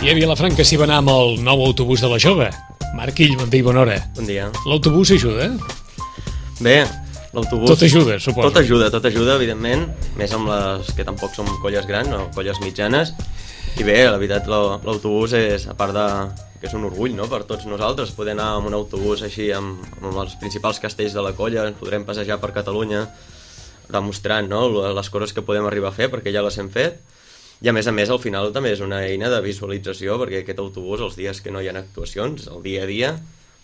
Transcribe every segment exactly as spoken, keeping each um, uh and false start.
I a Vilafranca s'hi va anar amb el nou autobús de la Jove. Marc Ill, bon dia i bona hora. Bon dia. L'autobús ajuda? Bé, l'autobús... Tot ajuda, suposo. Tot ajuda, tot ajuda, evidentment, més amb les que tampoc són colles grans o colles mitjanes. I bé, la veritat, l'autobús és, a part de que és un orgull, no?, per tots nosaltres, poder anar amb un autobús així amb, amb els principals castells de la colla, ens podrem passejar per Catalunya demostrant, no?, les coses que podem arribar a fer, perquè ja les hem fet. I a més a més, al final també és una eina de visualització, perquè aquest autobús, els dies que no hi ha actuacions, el dia a dia,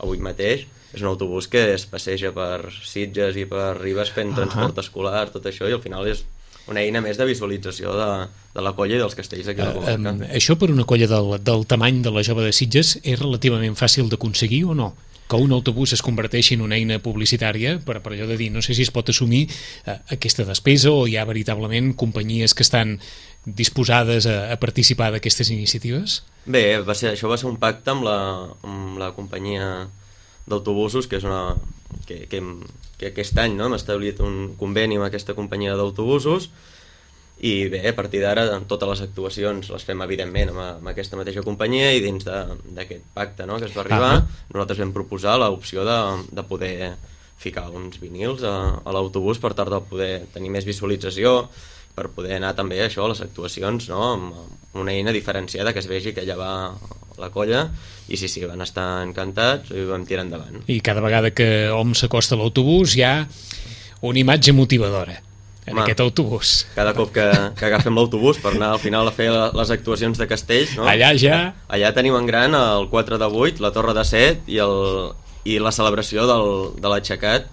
avui mateix, és un autobús que es passeja per Sitges i per Ribes fent uh -huh. transport escolar, tot això, i al final és una eina més de visualització de, de la colla i dels castells d'aquí a la comarca. Uh, um, això per una colla del, del tamany de la Jove de Sitges és relativament fàcil d'aconseguir o no? Que un autobús es converteixi en una eina publicitària, per, per allò de dir, no sé si es pot assumir uh, aquesta despesa o hi ha veritablement companyies que estan disposades a, a participar d'aquestes iniciatives? Bé, va ser, això va ser un pacte amb la, amb la companyia d'autobusos, que és una que, que, que aquest any, no?, hem establit un conveni amb aquesta companyia d'autobusos, i bé, a partir d'ara totes les actuacions les fem evidentment amb, amb aquesta mateixa companyia, i dins d'aquest pacte, no?, que es va arribar, uh -huh. nosaltres vam proposar l'opció de, de poder ficar uns vinils a, a l'autobús per tal de poder tenir més visualització, per poder anar també això a les actuacions, no?, amb una eina diferenciada, que es vegi que allà va la colla, i sí, sí, van estar encantats i vam tirar endavant. I cada vegada que hom s'acosta a l'autobús hi ha una imatge motivadora en Home, aquest autobús. Cada cop que, que agafem l'autobús per anar al final a fer les actuacions de castells, no?, allà ja... Allà tenim en gran el quatre de vuit, la torre de set i, el, i la celebració del, de l'aixecat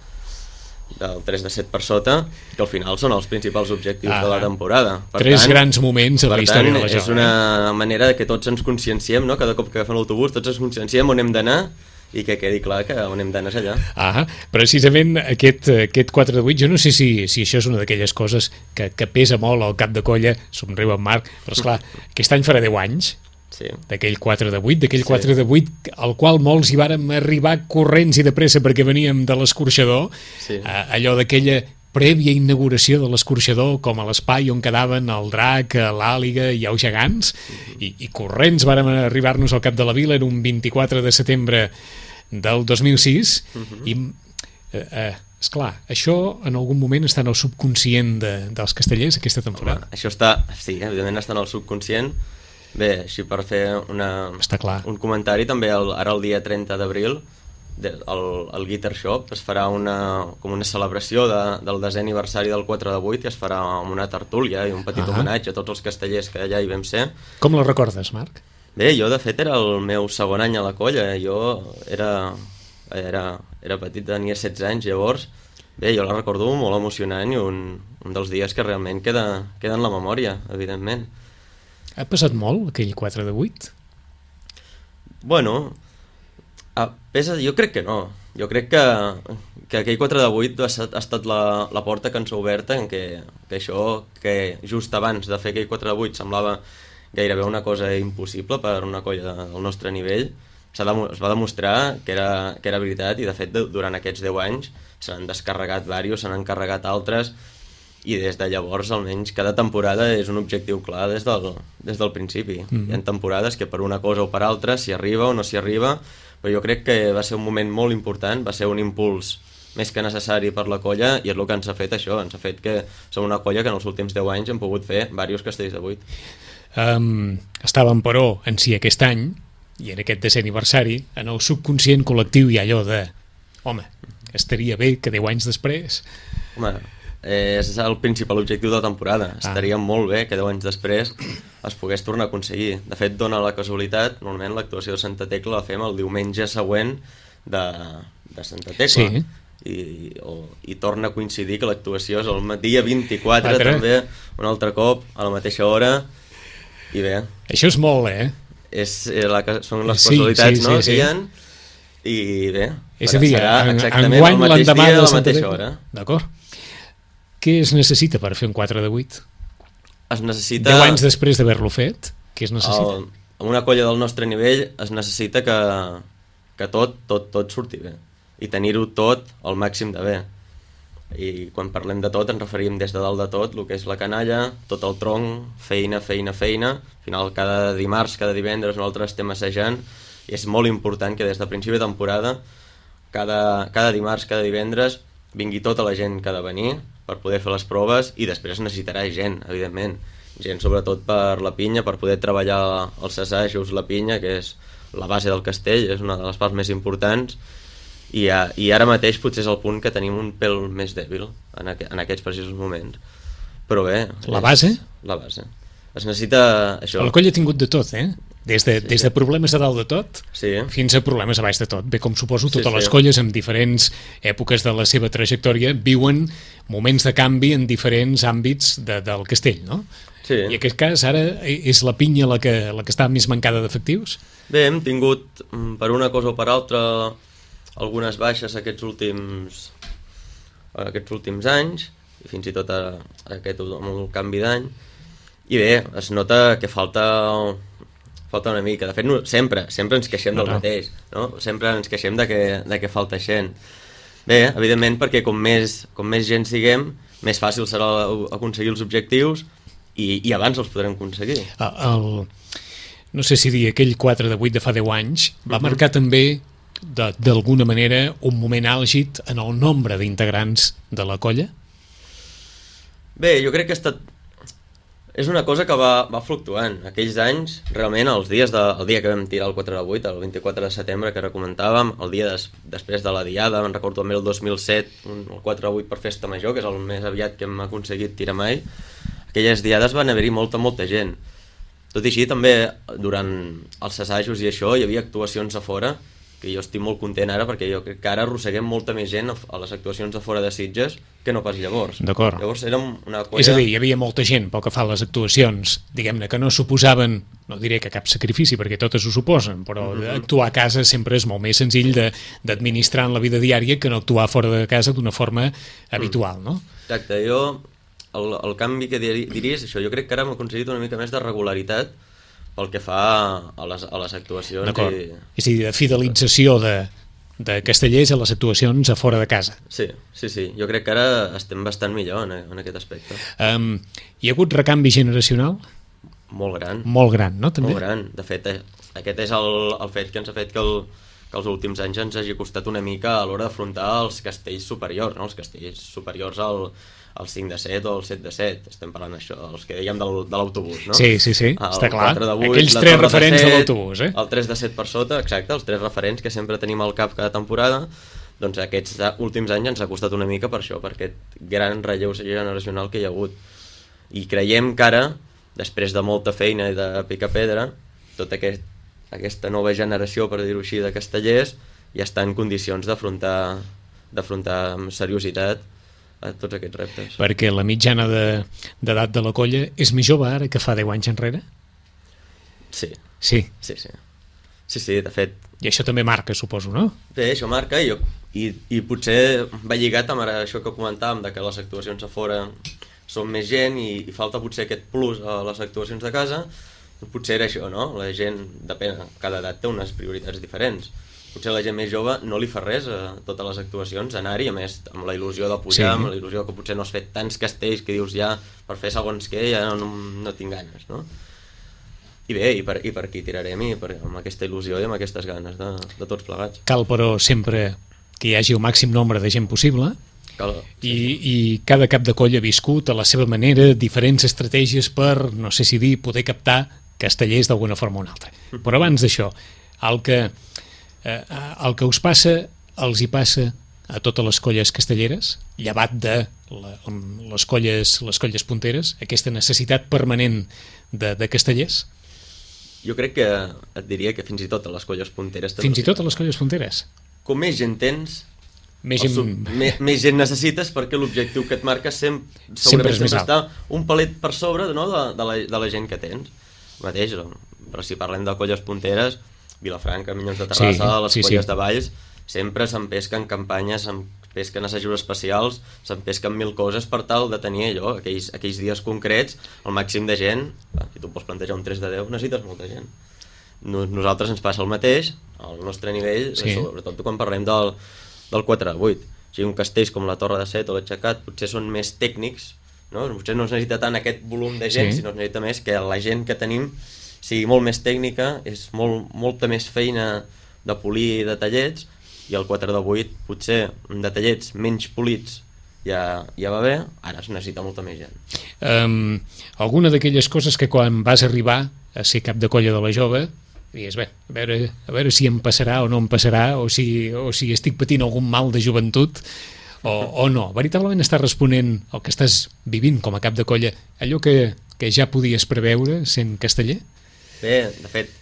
del tres de set per sota, que al final són els principals objectius ah, de la temporada. Per tres tant, grans moments a la història tant, de la Jove. És una manera que tots ens conscienciem, no?, cada cop que agafem l'autobús tots ens conscienciem on hem d'anar i que quedi clar que on hem d'anar és allà. Ah, precisament aquest, aquest quatre de vuit, jo no sé si, si això és una d'aquelles coses que, que pesa molt al cap de colla, somriu en Marc, però esclar, aquest any farà deu anys, sí, d'aquell quatre de vuit, d'aquell sí. quatre de vuit al qual molts hi vàrem arribar corrents i de pressa perquè veníem de l'escorxador, sí. allò d'aquella prèvia inauguració de l'escorxador com a l'espai on quedaven el drac, l'àliga i els gegants, mm-hmm. i, i corrents vàrem arribar-nos al cap de la vila, era un vint-i-quatre de setembre del dos mil sis, mm-hmm. i eh, eh, esclar, això en algun moment està en el subconscient de, dels castellers aquesta temporada. Home, això està, sí, evidentment està en el subconscient. Bé, així per fer una, està clar. un comentari, també el, ara el dia trenta d'abril el, el Guitar Shop es farà una, com una celebració de, del desè aniversari del quatre de vuit, i es farà amb una tertúlia i un petit uh -huh. homenatge a tots els castellers que allà hi vam ser. Com la recordes, Marc? Bé, jo de fet era el meu segon any a la colla, jo era, era, era petit, tenia setze anys llavors. Bé, jo la recordo molt emocionant i un, un dels dies que realment queda, queda en la memòria, evidentment. Ha passat molt aquell quatre de vuit? Bueno, a, pesa, jo crec que no. Jo crec que, que aquell quatre de vuit ha estat, ha estat la, la porta que ens ha obert en què, que això que just abans de fer aquell quatre de vuit semblava gairebé una cosa impossible per una colla del nostre nivell, de, es va demostrar que era, que era veritat, i de fet durant aquests deu anys se n'han descarregat diversos, se n'han encarregat altres, i des de llavors almenys cada temporada és un objectiu clar des del, des del principi. Mm-hmm. Hi ha temporades que per una cosa o per altra s'hi arriba o no s'hi arriba, però jo crec que va ser un moment molt important, va ser un impuls més que necessari per la colla, i és el que ens ha fet això, ens ha fet que som una colla que en els últims deu anys hem pogut fer diversos castells de vuit. Um, estàvem, però, en si aquest any, i en aquest desè aniversari, en el subconscient col·lectiu hi ha allò de home, estaria bé que deu anys després... Home, eh, és el principal objectiu de la temporada. Ah. Estaria molt bé que deu anys després es pogués tornar a aconseguir. De fet, dona la casualitat, normalment l'actuació de Santa Tecla la fem el diumenge següent de, de Santa Tecla. Sí. I, o, i torna a coincidir que l'actuació és el dia vint-i-quatre, també, un altre cop, a la mateixa hora, i bé... Això és molt, eh? És, la, són les casualitats, sí, sí, no? Sí, sí. Que hi ha, i bé, és a dir, serà en, exactament enguany, el mateix dia de a la mateixa hora. D'acord. Què es necessita per fer un quatre de vuit? Es necessita... deu anys després d'haver-lo fet, què es necessita? El, en una colla del nostre nivell es necessita que, que tot, tot, tot surti bé, i tenir-ho tot al màxim de bé. i quan parlem de tot ens referim des de dalt de tot, el que és la canalla, tot el tronc, feina, feina, feina. Al final, cada dimarts, cada divendres, nosaltres estem assajant, i és molt important que des de principi de temporada, cada, cada dimarts, cada divendres, vingui tota la gent que ha de venir per poder fer les proves, i després necessitarà gent, evidentment. Gent sobretot per la pinya, per poder treballar els assajos, la pinya, que és la base del castell, és una de les parts més importants, i, a, i ara mateix potser és el punt que tenim un pèl més dèbil en, aqu en aquests precisos moments. Però bé... La base? La base. Es necessita això. El coll ha tingut de tot, eh? Des de, sí, des de problemes a dalt de tot, sí, fins a problemes a baix de tot. Bé, com suposo, totes sí, les sí. colles en diferents èpoques de la seva trajectòria viuen moments de canvi en diferents àmbits de, del castell, no? Sí. I en aquest cas ara és la pinya la que, la que està més mancada d'efectius? Bé, hem tingut, per una cosa o per altra, algunes baixes aquests últims, aquests últims anys, i fins i tot a, a aquest amb el canvi d'any, i bé, es nota que falta... falta una mica. De fet, no, sempre, sempre ens queixem del no, no. mateix, no? Sempre ens queixem de que, de que falta gent. Bé, evidentment, perquè com més, com més gent siguem, més fàcil serà aconseguir els objectius i, i abans els podrem aconseguir. El, no sé si dir, aquell quatre de vuit de fa deu anys va uh-huh. marcar també, d'alguna manera, un moment àlgid en el nombre d'integrants de la colla? Bé, jo crec que ha estat... És una cosa que va, va fluctuant. Aquells anys, realment, els dies de, el dia que vam tirar el quatre de vuit, el vint-i-quatre de setembre, que ara comentàvem, el dia des, després de la diada, me'n recordo també el dos mil set, un, el quatre de vuit per Festa Major, que és el més aviat que hem aconseguit tirar mai, aquelles diades van haver-hi molta, molta gent. Tot i així, també, durant els assajos i això, hi havia actuacions a fora, que jo estic molt content ara, perquè jo crec que ara arrosseguem molta més gent a les actuacions de fora de Sitges que no pas llavors. D'acord. Llavors érem una colla... És a dir, hi havia molta gent, pel que fa a les actuacions, diguem-ne, que no suposaven, no diré que cap sacrifici, perquè totes ho suposen, però mm-hmm. actuar a casa sempre és molt més senzill d'administrar en la vida diària que no actuar fora de casa d'una forma habitual, no? Exacte, jo, el, el canvi que diria és això, jo crec que ara hem aconseguit una mica més de regularitat pel que fa a les, a les actuacions. D'acord, i... és a dir, de fidelització de, de castellers a les actuacions a fora de casa. Sí, sí, sí, jo crec que ara estem bastant millor en, en aquest aspecte. Um, hi ha hagut recanvi generacional? Molt gran. Molt gran, no? També? Molt gran, de fet, eh, aquest és el, el fet que ens ha fet que, el, que els últims anys ens hagi costat una mica a l'hora d'afrontar els castells superiors, no? Els castells superiors al... el cinc de set o el set de set, estem parlant d'això, els que dèiem del, de l'autobús, no? Sí, sí, sí, el està clar. quatre de vuit, aquells tres referents de, de l'autobús, eh? El tres de set per sota, exacte, els tres referents que sempre tenim al cap cada temporada, doncs aquests últims anys ens ha costat una mica per això, per aquest gran relleu generacional que hi ha hagut. I creiem que ara, després de molta feina i de picar pedra, tota aquest, aquesta nova generació, per dir-ho així, de castellers, ja està en condicions d'afrontar d'afrontar amb seriositat a tots aquests reptes. Perquè la mitjana d'edat de, de la colla és més jove ara que fa deu anys enrere? Sí. Sí? Sí, sí. Sí, sí, de fet... I això també marca, suposo, no? Bé, això marca i, i, i potser va lligat amb això que comentàvem, de que les actuacions a fora són més gent i, i falta potser aquest plus a les actuacions de casa, potser era això, no? La gent, depèn, cada edat té unes prioritats diferents. Potser la gent més jove no li fa res a totes les actuacions, anar-hi, a més, amb la il·lusió de pujar, sí. Amb la il·lusió que potser no has fet tants castells que dius ja, per fer segons què, ja no, no tinc ganes, no? I bé, i per, i per aquí tirarem, i per, amb aquesta il·lusió i amb aquestes ganes de, de tots plegats. Cal, però, sempre que hi hagi el màxim nombre de gent possible, Cal, i, i cada cap de colla ha viscut a la seva manera diferents estratègies per, no sé si dir, poder captar castellers d'alguna forma o una altra. Però abans d'això, el que... Eh, el que us passa els hi passa a totes les colles castelleres, llevat de la, les, colles, les colles punteres, aquesta necessitat permanent de, de castellers? Jo crec que et diria que fins i tot a les colles punteres... Fins i tot a les colles punteres? Com més gent tens, més gent, sub, més, més gent necessites, perquè l'objectiu que et marques sempre, sempre, sempre està un palet per sobre, no, de, de, la, de la gent que tens. Mateix, però si parlem de colles punteres, Vilafranca, Minyons de Terrassa, sí, les sí, colles sí. de Valls, sempre s'empesquen campanyes, s'empesquen assajos especials, s'empesquen mil coses per tal de tenir allò, aquells, aquells dies concrets, el màxim de gent. Si tu pots plantejar un tres de deu, necessites molta gent. Nosaltres ens passa el mateix, al nostre nivell, sí. Sobretot quan parlem del, del quatre de vuit. O sigui, un castells com la Torre de Set o l'Aixecat potser són més tècnics, no? Potser no es necessita tant aquest volum de gent, sí. sinó es necessita més que la gent que tenim sigui molt més tècnica, és molt, molta més feina de polir detallets, i el quatre de vuit potser detallets menys polits ja, ja va bé, ara es necessita molta més gent. Um, alguna d'aquelles coses que quan vas arribar a ser cap de colla de la Jove digues, bé, a veure, a veure si em passarà o no em passarà, o si, o si estic patint algun mal de joventut o, o no. Veritablement estàs responent al que estàs vivint com a cap de colla, allò que, que ja podies preveure sent casteller? Bé, de fet,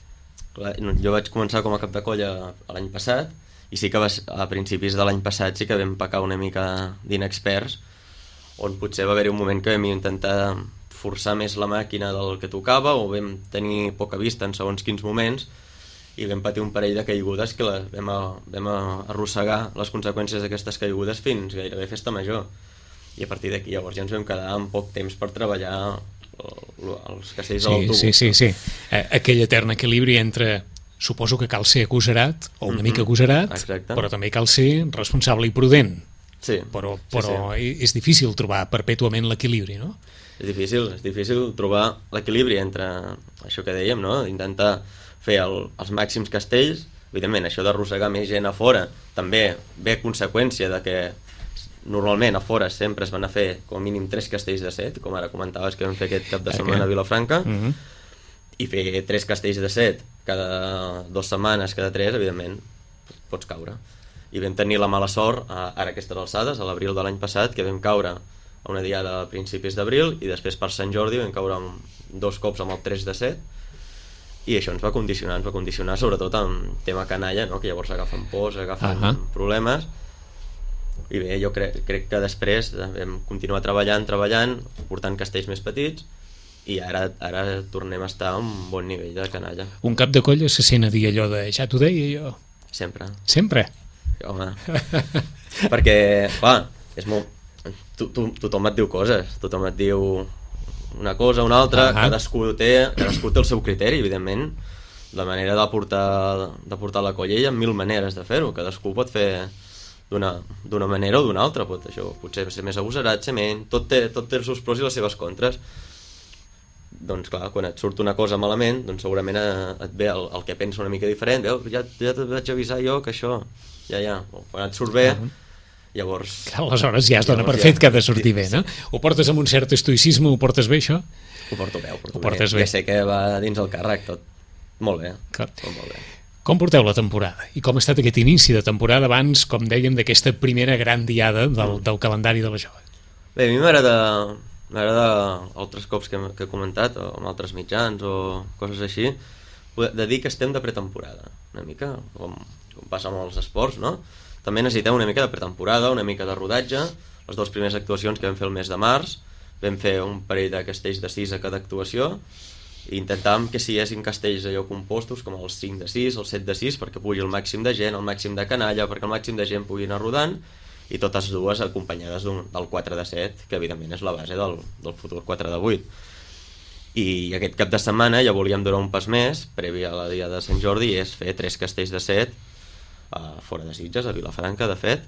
jo vaig començar com a cap de colla l'any passat, i sí que va, a principis de l'any passat sí que vam pecar una mica d'inexperts, on potser va haver-hi un moment que vam intentar forçar més la màquina del que tocava, o vam tenir poca vista en segons quins moments, i vam patir un parell de caigudes que les vam, a, vam a arrossegar les conseqüències d'aquestes caigudes fins gairebé festa major. I a partir d'aquí llavors ja ens vam quedar amb poc temps per treballar els castells sí, de l'autobús. Sí, sí, sí. Aquell etern equilibri entre suposo que cal ser agosarat, o una mm-hmm. mica agosarat, exacte. Però també cal ser responsable i prudent. Sí, però, però sí, sí. És difícil trobar perpètuament l'equilibri, no? És difícil, és difícil trobar l'equilibri entre això que dèiem, no? Intentar fer el, els màxims castells, evidentment això d'arrossegar més gent a fora també ve a conseqüència de que normalment a fora sempre es van a fer com a mínim tres castells de set, com ara comentaves que vam fer aquest cap de setmana a Vilafranca, mm-hmm. i fer tres castells de set cada dues setmanes, cada tres, evidentment pots caure. I vam tenir la mala sort ara a aquestes alçades, a l'abril de l'any passat, que vam caure a una diada a principis d'abril, i després per Sant Jordi vam caure amb dos cops amb el tres de set, i això ens va condicionar, ens va condicionar sobretot amb tema canalla, no? Que llavors agafen pors, agafen uh-huh. problemes, i bé, jo crec, crec que després vam continuar treballant, treballant, portant castells més petits, i ara, ara tornem a estar a un bon nivell de canalla. Un cap de colla se sent a dir allò de ja t'ho deia jo? Sempre. Sempre? Home, perquè, clar, és molt... To, to, tothom et diu coses, tothom et diu una cosa, una altra, uh-huh. cadascú, té, cadascú té el seu criteri, evidentment. La manera de portar, de portar la colla hi ha mil maneres de fer-ho, cadascú pot fer d'una, d'una manera o d'una altra, pot, això, potser ser més agosarat, ser menys, tot té, tot té els seus pros i les seves contres. Doncs clar, quan et surt una cosa malament, doncs segurament et ve el, el que pensa una mica diferent, veu, ja, ja et vaig avisar jo que això, ja, ja, quan et surt bé, uh-huh. llavors... Clar, aleshores ja es dona per fet que ha de sortir bé, no? Ho portes amb un cert estoicisme, ho portes bé, això? Ho porto bé, ho porto ho portes bé. bé. Ja sé que va dins el càrrec, tot molt bé, tot molt bé. Com porteu la temporada? I com ha estat aquest inici de temporada abans, com dèiem, d'aquesta primera gran diada del, del calendari de la Jove? Bé, a mi m'agrada... M'agrada altres cops que, que he comentat, o amb altres mitjans o coses així, de dir que estem de pretemporada, una mica, com, com passa amb els esports, no? També necessitem una mica de pretemporada, una mica de rodatge. Les dues primeres actuacions que vam fer el mes de març, vam fer un parell de castells de sis a cada actuació, i intentàvem que siguessin castells allò compostos, com els cinc de sis, el set de sis, perquè pugui el màxim de gent, el màxim de canalla, perquè el màxim de gent pugui anar rodant, i totes dues acompanyades d'un, del quatre de set, que evidentment és la base del, del futur quatre de vuit. I aquest cap de setmana ja volíem donar un pas més, previ a la dia de Sant Jordi, i és fer tres castells de set uh, fora de Sitges, a Vilafranca, de fet,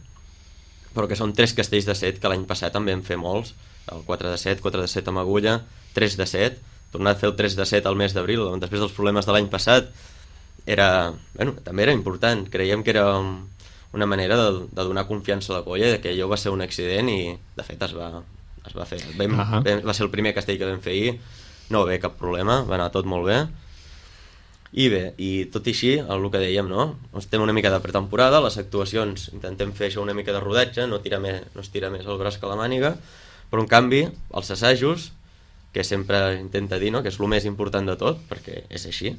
però que són tres castells de set, que l'any passat també en fer molts, el quatre de set, quatre de set amb agulla, tres de set, tornar a fer el tres de set al mes d'abril, després dels problemes de l'any passat, era, bueno, també era important, creiem que era una manera de, de donar confiança a la colla, que allò va ser un accident i de fet es va, es va fer. Vam, uh-huh. vam, va ser el primer castell que vam fer ahir, no va haver cap problema, va anar tot molt bé. I bé, i tot i així, el que dèiem, no? Estem una mica de pretemporada, les actuacions intentem fer això una mica de rodatge, no, tira més, no es tira més el braç que la màniga, però en canvi, els assajos, que sempre intenta dir, no? Que és el més important de tot, perquè és així,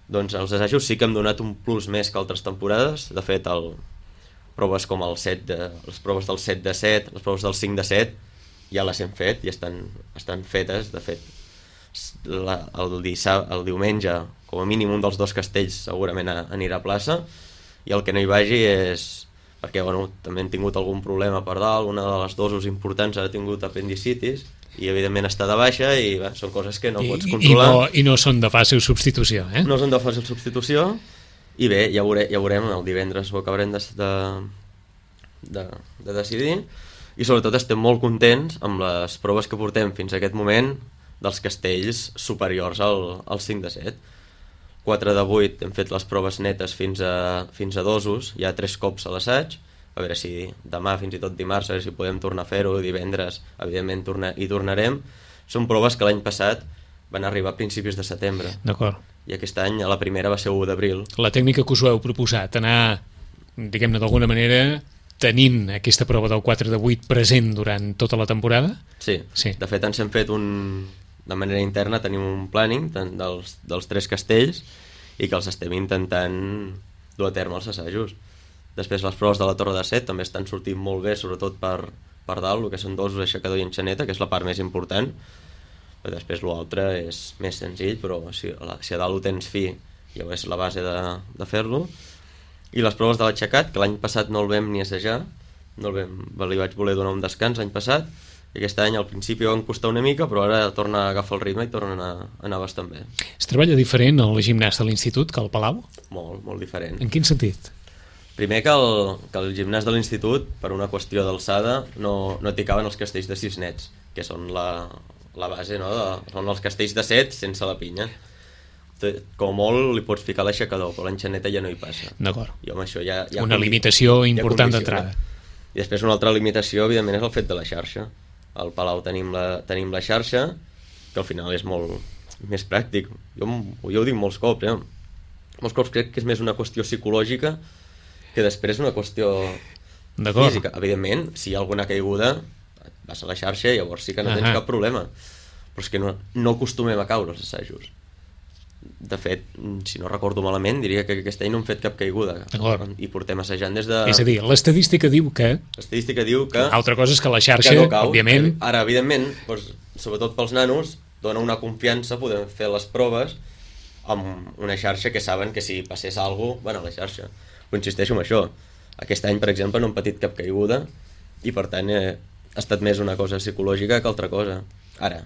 doncs els assajos sí que hem donat un plus més que altres temporades. De fet, el, proves com el set de, les proves del set de set, les proves del cinc de set, ja les hem fet i estan, estan fetes. De fet, la, el, dissab, el diumenge, com a mínim un dels dos castells segurament anirà a plaça, i el que no hi vagi és perquè bueno, també hem tingut algun problema per dalt, una de les dosos importants ha tingut apendicitis, i evidentment està de baixa i bé, són coses que no I, pots controlar. I no, I no són de fàcil substitució, eh? No són de fàcil substitució, i bé, ja, veure, ja veurem, el divendres ho acabarem de, de, de, de decidir, i sobretot estem molt contents amb les proves que portem fins a aquest moment dels castells superiors al, al cinc de set. quatre de vuit hem fet les proves netes fins a, fins a dosos, hi ha tres cops a l'assaig, a veure si demà, fins i tot dimarts, a veure si podem tornar a fer-ho, divendres, evidentment, torna, hi tornarem. Són proves que l'any passat van arribar a principis de setembre. D'acord. I aquest any la primera va ser u d'abril. La tècnica que us ho heu proposat, anar, diguem-ne d'alguna manera, tenint aquesta prova del quatre de vuit present durant tota la temporada? Sí, sí. De fet ens hem fet un... De manera interna tenim un planning dels, dels tres castells i que els estem intentant dur a terme els assajos. Després les proves de la Torre de Set també estan sortint molt bé, sobretot per, per dalt, el que són dosos, aixecador i enxaneta, que és la part més important. Però després l'altre és més senzill, però si, si a dalt ho tens fi, ja és la base de, de fer-lo. I les proves de l'aixecat, que l'any passat no el vam ni assajar, no el vam, li vaig voler donar un descans l'any passat, i aquest any al principi van costar una mica, però ara torna a agafar el ritme i torna a anar, a anar bastant bé. Es treballa diferent al gimnàs de l'institut que al Palau? Molt, molt diferent. En quin sentit? Primer que el, que el gimnàs de l'institut, per una qüestió d'alçada, no, no t'hi caben els castells de sis nets, que són la, la base, no? De, són els castells de set sense la pinya. Com molt li pots ficar l'aixecador, però l'enxaneta ja no hi passa. D'acord. I amb això ja, ja una limitació important d'entrada. I després una altra limitació, evidentment, és el fet de la xarxa. Al Palau tenim la, tenim la xarxa, que al final és molt més pràctic. Jo, jo ho dic molts cops, eh? Molts cops crec que és més una qüestió psicològica que després una qüestió física. Evidentment, si hi ha alguna caiguda, vas a la xarxa i llavors sí que no tens uh-huh. cap problema. Però és que no, no acostumem a caure els assajos. De fet, si no recordo malament, diria que aquest any no hem fet cap caiguda i portem assajant des de... És a dir, l'estadística diu que... L'estadística diu que... Altra cosa és que la xarxa, que no cau. Òbviament... Ara, evidentment, doncs, sobretot pels nanos, dona una confiança, podem fer les proves amb una xarxa que saben que si passés alguna cosa, van a la xarxa. Però insisteixo en això. Aquest any, per exemple, no hem patit cap caiguda i, per tant, eh, ha estat més una cosa psicològica que altra cosa. Ara,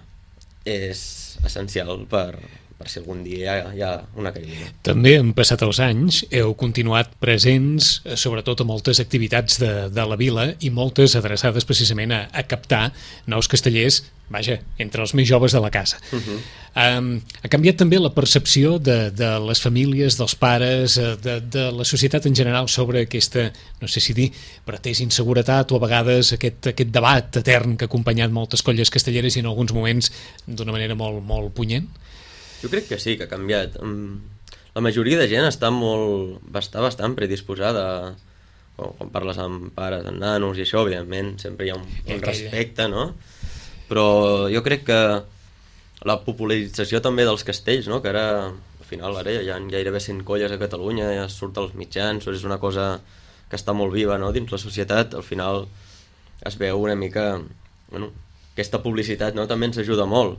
és essencial per... per si algun dia hi ha una caiguda. També han passat els anys, heu continuat presents, sobretot a moltes activitats de, de la vila i moltes adreçades precisament a, a captar nous castellers, vaja, entre els més joves de la casa. Uh-huh. Um, ha canviat també la percepció de, de les famílies, dels pares, de, de la societat en general sobre aquesta, no sé si dir, pretès inseguretat o a vegades aquest, aquest debat etern que ha acompanyat moltes colles castelleres i en alguns moments d'una manera molt, molt punyent? Jo crec que sí, que ha canviat. La majoria de gent està molt, està bastant predisposada, quan parles amb pares, amb nanos i això, evidentment, sempre hi ha un, un respecte, no? Però jo crec que la popularització també dels castells, no? Que ara, al final, ara hi ha gairebé cent colles a Catalunya, ja surt als mitjans, és una cosa que està molt viva, no? Dins la societat, al final es veu una mica... Bueno, aquesta publicitat, no? També ens ajuda molt.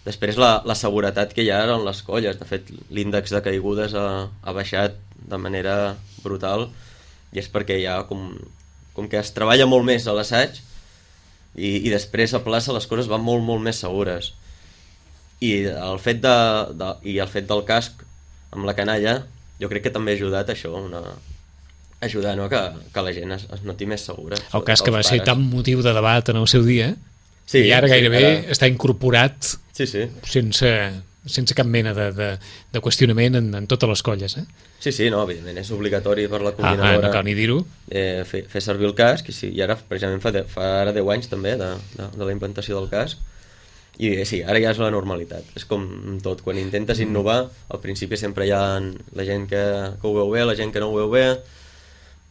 Després la, la seguretat que hi ha en les colles, de fet l'índex de caigudes ha, ha baixat de manera brutal i és perquè hi ha com, com que es treballa molt més a l'assaig i, i després a plaça les coses van molt molt més segures i el fet, de, de, i el fet del casc amb la canalla jo crec que també ha ajudat això, una, ajudar, no? que, que la gent es, es noti més segura. El casc que va pares. Ser tan motiu de debat en el seu dia sí, i ara gairebé sí, ara... està incorporat sí, sí. Sense, sense cap mena de, de, de qüestionament en, en totes les colles. Eh? Sí, sí, no, evidentment, és obligatori per la coordinadora. Ah, ah, no cal ni dir-ho. Eh, fer, fer servir el casc, i, sí, i ara precisament fa, de, fa ara deu anys també de, de, de la implantació del casc, i eh, sí, ara ja és la normalitat. És com tot, quan intentes innovar, al principi sempre hi ha la gent que, que ho veu bé, la gent que no ho veu bé,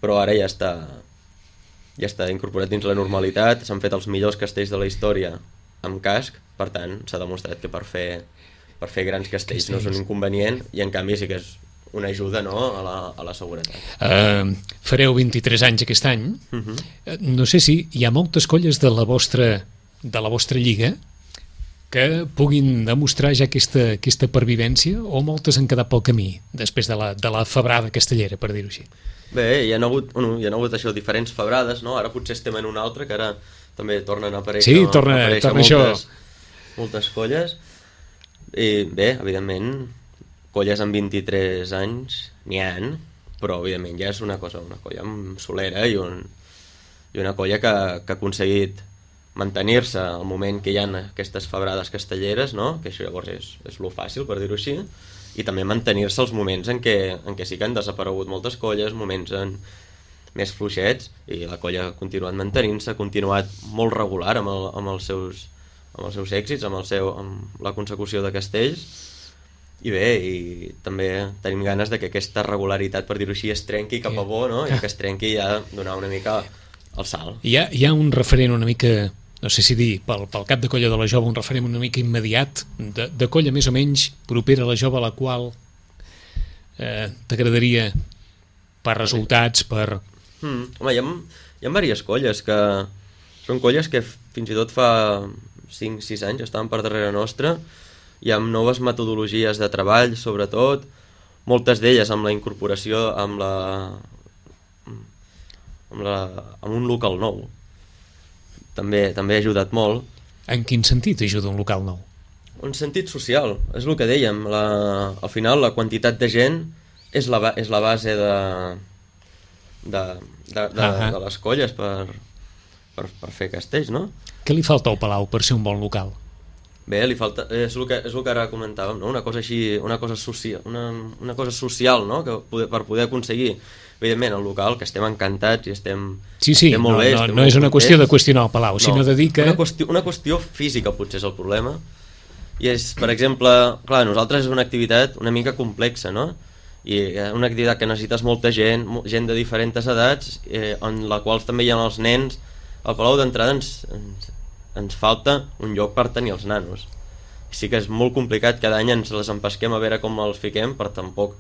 però ara ja està... ja està incorporat dins la normalitat, s'han fet els millors castells de la història amb casc, per tant s'ha demostrat que per fer, per fer grans castells no és un inconvenient i en canvi sí que és una ajuda, no? a, la, a la seguretat. Uh, fareu vint-i-tres anys aquest any. Uh-huh. uh, no sé si hi ha moltes colles de la vostra, de la vostra lliga que puguin demostrar ja aquesta, aquesta pervivència o moltes han quedat pel camí després de la, de la febrada castellera, per dir-ho així. Bé, hi ha hagut, bueno, hi ha hagut això, diferents febrades, no? Ara potser estem en una altra, que ara també tornen a aparèixer, sí, torna, a aparèixer torna moltes, això. moltes colles. I bé, evidentment, colles amb vint-i-tres anys n'hi ha, però evidentment ja és una cosa, una colla solera i un, i una colla que, que ha aconseguit mantenir-se al moment que hi ha aquestes febrades castelleres, no? Que això llavors és, és lo fàcil, per dir-ho així, i també mantenir-se els moments en què, en què sí que han desaparegut moltes colles, moments en, més fluixets, i la colla ha continuat mantenint-se, ha continuat molt regular amb, el, amb, els seus, amb els seus èxits, amb, el seu, amb la consecució de castells, i bé, i també tenim ganes de que aquesta regularitat, per dir-ho així, es trenqui cap a bo, no? I que es trenqui ja donar una mica el salt. Hi ha, hi ha un referent una mica, no sé si dir, pel, pel cap de colla de la jove, un referent una mica immediat, de, de colla més o menys propera a la jove, a la qual eh, t'agradaria per resultats, per... Mm, home, hi ha, hi ha diverses colles que són colles que fins i tot fa cinc sis anys estaven per darrere nostra, i amb noves metodologies de treball, sobretot, moltes d'elles amb la incorporació amb la amb, la, amb un local nou. També, també ha ajudat molt. En quin sentit ajuda un local nou? Un sentit social, és el que dèiem. La, al final, la quantitat de gent és la, és la base de, de, de, de, uh-huh. de les colles per, per, per fer castells, no? Què li falta al Palau per ser un bon local? Bé, li falta, és el que, és el que ara comentàvem, no? Una cosa així, una cosa social, una, una cosa social, no? Que poder, per poder aconseguir, evidentment, el local, que estem encantats i estem, sí, sí, estem molt no, bé, no, estem no és una contents. qüestió de qüestionar el Palau, no, sinó de dir que... Una qüestió, una qüestió física potser és el problema, i és, per exemple, clar, nosaltres és una activitat una mica complexa, no? I una activitat que necessites molta gent, gent de diferents edats, eh, en la qual també hi ha els nens. Al Palau d'entrada ens, ens, ens falta un lloc per tenir els nanos. Sí que és molt complicat, cada any ens les empesquem a veure com els fiquem per tampoc,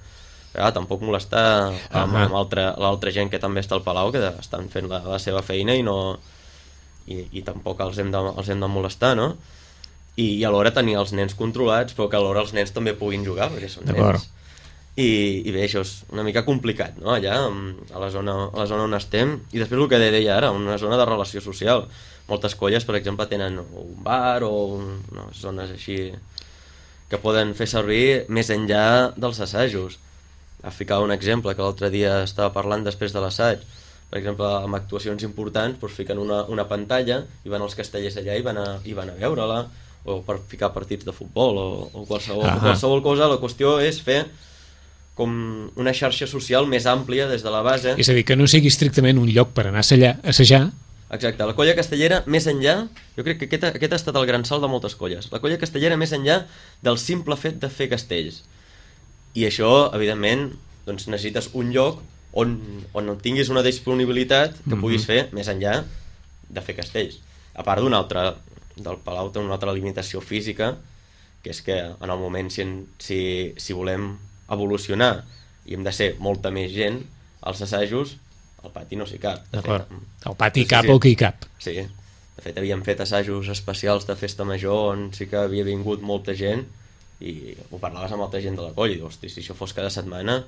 ah, tampoc molestar amb, amb altra, l'altra gent que també està al Palau, que estan fent la, la seva feina i no i, i tampoc els hem, de, els hem de molestar, no? I, i alhora tenir els nens controlats, però que alhora els nens també puguin jugar, perquè són nens. I, i bé, això és una mica complicat, no? Allà, a la zona, a la zona on estem. I després el que deia ara, una zona de relació social. Moltes colles, per exemple, tenen un bar o un, no, zones així que poden fer servir més enllà dels assajos. A ficar un exemple que l'altre dia estava parlant després de l'assaig. Per exemple, amb actuacions importants doncs fiquen una, una pantalla i van els castellers allà i van a, i van a veure-la, o per ficar partits de futbol o, o qualsevol, uh-huh. qualsevol cosa. La qüestió és fer com una xarxa social més àmplia des de la base. És a dir, que no sigui estrictament un lloc per anar a assajar. Exacte, la colla castellera més enllà, jo crec que aquest, aquest ha estat el gran salt de moltes colles, la colla castellera més enllà del simple fet de fer castells. I això, evidentment, doncs necessites un lloc on, on tinguis una disponibilitat que puguis fer més enllà de fer castells. A part d'un altre, del Palau té una altra limitació física, que és que en el moment si, si, si volem evolucionar i hem de ser molta més gent, als assajos al pati no s'hi cap. D'acord, al pati sí, cap sí. O que hi cap. Sí, de fet havíem fet assajos especials de festa major on sí que havia vingut molta gent i ho parlaves amb molta gent de la colla i dius, hosti, si això fos cada setmana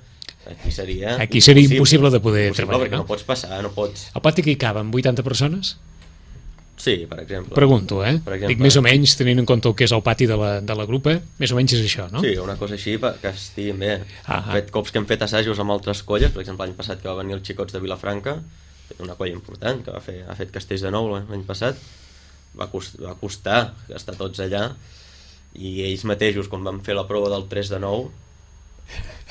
aquí seria aquí seria impossible, impossible de poder impossible, treballar, perquè no? no pots passar, no pots... Al pati que hi caben vuitanta persones? Sí, per exemple. Pregunto, eh? Per exemple. Dic més o menys, tenint en compte el que és el pati de la, de la grupa, més o menys és això, no? Sí, una cosa així que estiguin bé. Ah, ah. Fet cops que hem fet assajos amb altres colles, per exemple, l'any passat que va venir els xicots de Vilafranca, una colla important, que va fer, ha fet castells de nou l'any passat, va, cost, va costar estar tots allà, i ells mateixos, quan van fer la prova del tres de nou,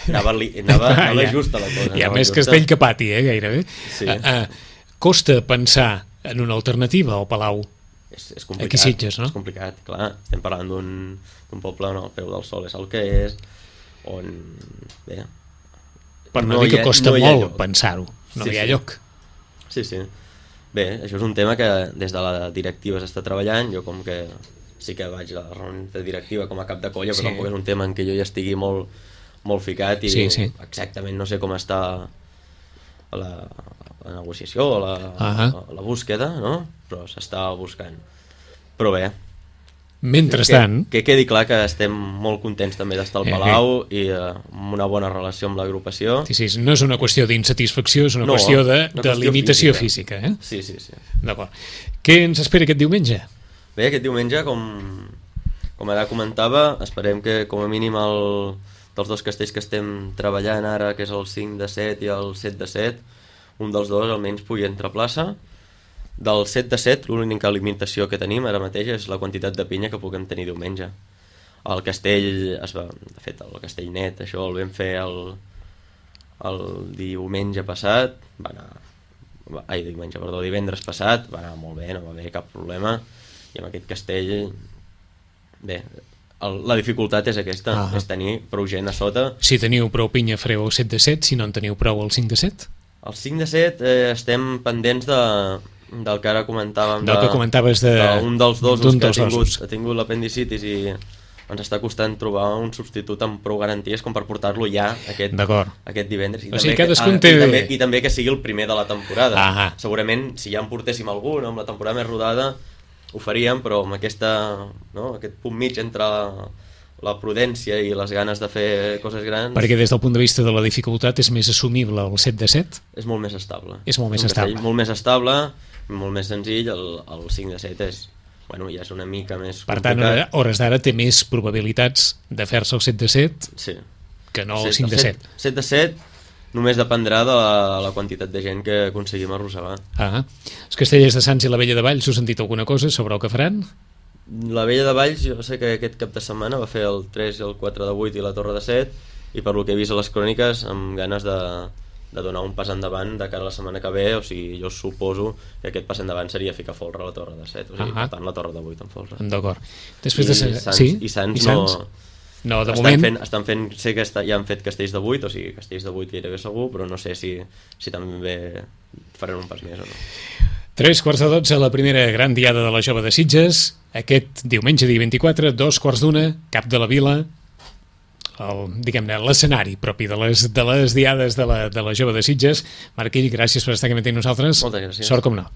anava, li, anava, anava ja, justa la cosa. Hi ha més justa. Castell que pati, eh, gairebé. Sí. Uh, uh, costa pensar en una alternativa al Palau. És, és complicat, aquí Sitges, no? És complicat, clar. Estem parlant d'un poble on el peu del sol és el que és, on... Bé, per no, no dir que ha, costa no molt pensar-ho. No sí, hi ha sí. lloc. Sí, sí. Bé, això és un tema que des de la directiva s'està treballant. Jo com que sí que vaig a la reunió de directiva com a cap de colla, sí. Però tampoc és un tema en què jo ja estigui molt, molt ficat i sí, sí. Exactament no sé com està la, la negociació o la, uh-huh. la, la búsqueda, no? Però s'està buscant. Però bé, mentrestant, que, que quedi clar que estem molt contents també d'estar al Palau eh, eh. i uh, amb una bona relació amb l'agrupació. Sí, sí, no és una qüestió d'insatisfacció, és una no, qüestió de, una de qüestió limitació física. física eh? Sí, sí, sí. D'acord. Què ens espera aquest diumenge? Bé, aquest diumenge, com, com ara comentava, esperem que com a mínim el, dels dos castells que estem treballant ara, que és el cinc de set i el set de set, un dels dos almenys pugui entrar a plaça. Del set de set, l'única limitació que tenim ara mateix és la quantitat de pinya que puguem tenir diumenge. El castell, es va, de fet, el castell net, això el vam fer el, el diumenge passat, va anar, ai, diumenge, perdó, divendres passat, va anar molt bé, no va haver cap problema, i amb aquest castell, bé, el, la dificultat és aquesta, ah. és tenir prou gent a sota. Si teniu prou pinya fareu el set de set, si no en teniu prou el cinc de set? El cinc de set eh, estem pendents de... del que ara comentàvem del que comentaves de, d'un dels dos que ha tingut, dosos. ha tingut l'apendicitis i ens està costant trobar un substitut amb prou garanties com per portar-lo ja aquest, aquest divendres i, o sigui, també, que, ah, té... i, també, i també que sigui el primer de la temporada. Ah, segurament si ja en portéssim algun amb la temporada més rodada ho faríem, però amb aquesta, no, aquest punt mig entre la, la prudència i les ganes de fer coses grans... Perquè des del punt de vista de la dificultat és més assumible el set de set? És molt més estable. És molt més estable. Molt més estable, molt més senzill, el, el cinc de set és, bueno, ja és una mica més per complicat. Per tant, a hores d'ara té més probabilitats de fer-se el set de set sí. que no el cinc de set. El set de set només dependrà de la, la quantitat de gent que aconseguim arrossegar. Ah, els Castellers de Sants i la Vella de Valls, us han dit alguna cosa sobre el que faran? La Vella de Valls, jo sé que aquest cap de setmana va fer el tres i el quatre de vuit i la Torre de set, i per lo que he vist a les cròniques, amb ganes de... de donar un pas endavant de cara a la setmana que ve, o sigui, jo suposo que aquest pas endavant seria ficar folre a la Torre de set, o sigui, uh-huh. per tant la Torre de vuit en folre. D'acord. Després de... I Sants, sí? i Sants, I Sants? no... No, de estan moment... Fent, estan fent, sé que està, ja han fet castells de vuit, o sigui, castells de vuit gairebé segur, però no sé si, si també faran un pas més o no. Tres quarts de dotze, la primera gran diada de la Jove de Sitges, aquest diumenge dia vint-i-quatre, dos quarts d'una, cap de la vila, el, diguem-ne, l'escenari propi de les, de les diades de la, de la Jove de Sitges. Marc Ill, gràcies per estar aquí amb nosaltres. Moltes gràcies. Sort com no.